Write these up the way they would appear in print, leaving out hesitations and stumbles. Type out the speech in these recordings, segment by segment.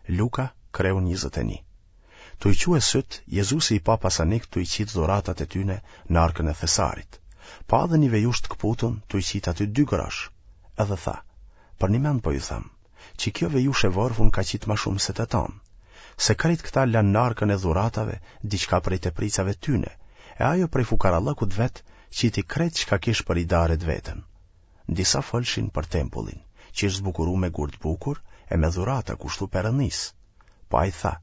Luka, kreu 21. Tu i çue sytë, Jezusi i pa pasanikët tu i qitë dhuratat e tyne në arkën e thesarit. Pa edhe një vejushë të këputun tu i qitë aty dy grosh. Edhe tha, përnjimend po ju them, që kjo vejushë e vorfun ka qitë ma shumë se të tanë. Se krejt këta lanë në arkën e dhuratave diçka prej tepricave tyne, e ajo prej fukarallëkut vet qiti krejt çka kish për idare të veten. Disa folshin për tempullin, që ish zbukuru me gurë të bukur e me dhurata kushtu Perëndisë. Po ai tha,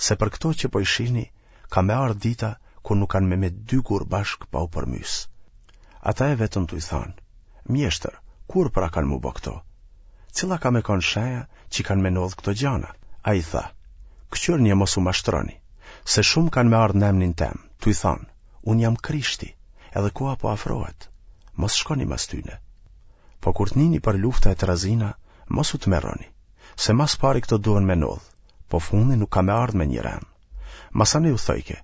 se për këto që po i shihni, ka me ardhë dita kur nuk kanë me met dy gurë bashkë pa u përmys. Ata e vetën tuj thanë, mjeshtër, kur pra kanë m'u bo këto? Cila ka me konë shenja që kanë me ndodhë këto gjana? Ai tha, këqyrni e mos u mashtroni, se shumë kanë me ardhë në emnin tem, tuj thanë, unë jam Krishti, edhe koha po afrohet, mos shkoni mas tyne. Po kur të nini për lufta e trazina, mos u tmerroni, se ma s'pari këto duhen me ndodhë, po fundi nuk ka me ardhë me një ren. Masanej u thojke,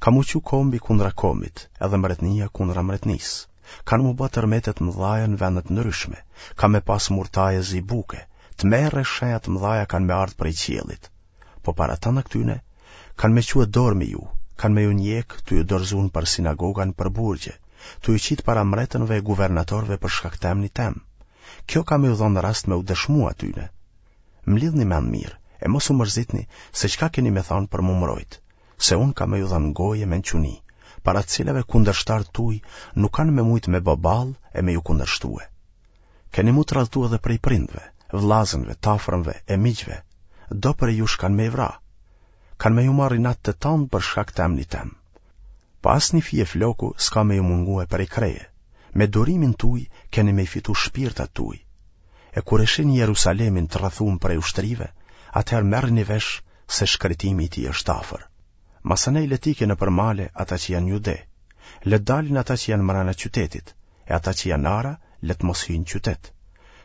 ka m'u çu kombi kundra kombit, edhe mretnia kundra mretnisë. Kanë m'u bë tërmete të mëdhaja në vende të ndryshme, ka me pas murtaje zi buke, tmerre e shenja të mëdhaja kanë me ardhë prej qiellit. Po para tana këtyne, kanë me çue dorë me ju, kanë me ju njek tu ju dorëzu nëpër sinagoga nëpër burgje, tu ju qitë para mretënve e guvernatorëve për shkak të emnit tem. Kjo ka me ju dhonë rast me u dëshmu atyne. Mlidhni mend mirë, e mos u mërzitni se çka keni me thanë për m'u mrojt, se unë kam me ju dhanë gojë e mençuni, para të cilave kundërshtarët tuj nuk kanë me mujtë me bo ballë e me ju kundërshtue. Keni m'u tradhtu edhe prej prindve, vllazënve, t'afërmve e miqve, do prej jush kanë me i vra. Kanë me ju marrë inat të tanë për shkak të emnit tem. Po asnjë fije floku s'ka me ju mungue prej kreje, me durimin tuj keni me i fitu shpirtat tuj. E kur e shihni Jerusalemin të rrethum prej ushtrive, atëherë merrni vesh se shkretimi i tij është afër. Masanej le t'ikin nëpër male ata që janë n'Jude, le të dalin ata që janë mrena qytetit, e ata që janë n'ara, le të mos hyjnë n'qytet.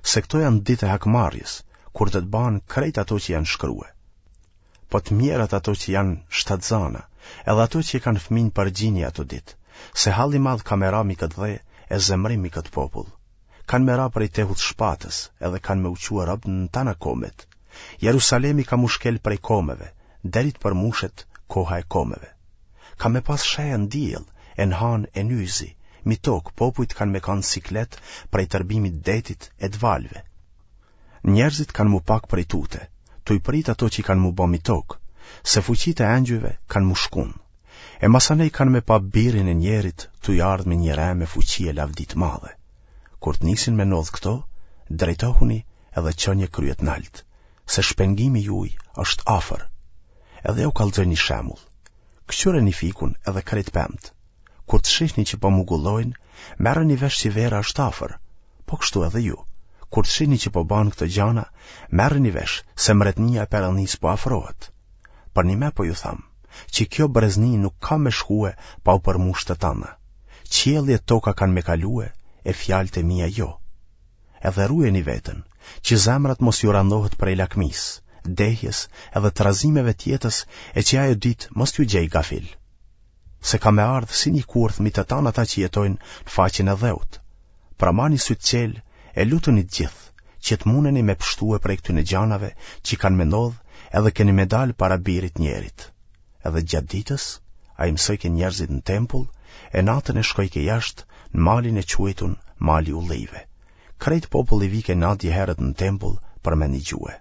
Se këto janë ditë e hakmarrjes, kur do të bahen krejt ato që janë shkrue. Po të mjerat ato që janë shtatzana, edhe ato që i kanë fëmijë për gjini ato ditë, se hall i madh ka me ra mi këtë dhe e zemrim mi këtë popull. Kanë me ra prej tehut shpatës, edhe kanë me u çue rob në tana komet. Jerusalemi ka m'u shkel prej komeve, deri të përmushet koha e komeve. Ka me pas sheja në diell, e në hanë e n'yjzi, mi tokë popujt kanë me kanë n'siklet prej tërbimit detit e të valëve. Njerëzit kanë m'u pak prej tute, tuj prit ato që kanë m'u bo mi tokë, se fuqitë e engjujve kanë m'u shkun. E masanej kanë me pa birin e njerit tuj ardhë me një re me fuqi e lavdi të madhe. Kur të nisin me ndodhë këto, drejtohuni edhe çonje kryet nalt, se shpengimi juj është afër. Edhe jau kallxoi një shembull. Këqyreni fikun edhe krejt pemët. Kur të shihni që po mugullojnë, merreni vesh që vera është afër. Po kështu edhe ju. Kur të shihni që po bahen këto gjana, merreni vesh se mretnia e Perëndisë po afrohet. Përnime po ju tham, që kjo brezni nuk ka me shkue pa u përmush të tana. Qielli e toka kanë me kalue, e fjalët e mia jo. Edhe ruajeni veten, që zemrat mos ju randohet prej lakmisë, dehjes edhe trazimeve të jetës e që ajo ditë mos t'ju gjejë gafil. Se ka me ardhë si një kurth mi të tanë ata që jetojnë në faqen e dheut. Pra mani sytë çelë e lutuni të gjithë, që të muneni me pshtue prej këtyne gjanave që kanë me ndodhë edhe keni me dalë para birit njerit. Edhe gjatë ditës, ai mësojke njerëzit në tempull, e natën e shkojke jashtë në malin e quajtun mali ullijve. Krejt populli vike nadje herët në tempull për me nigjue.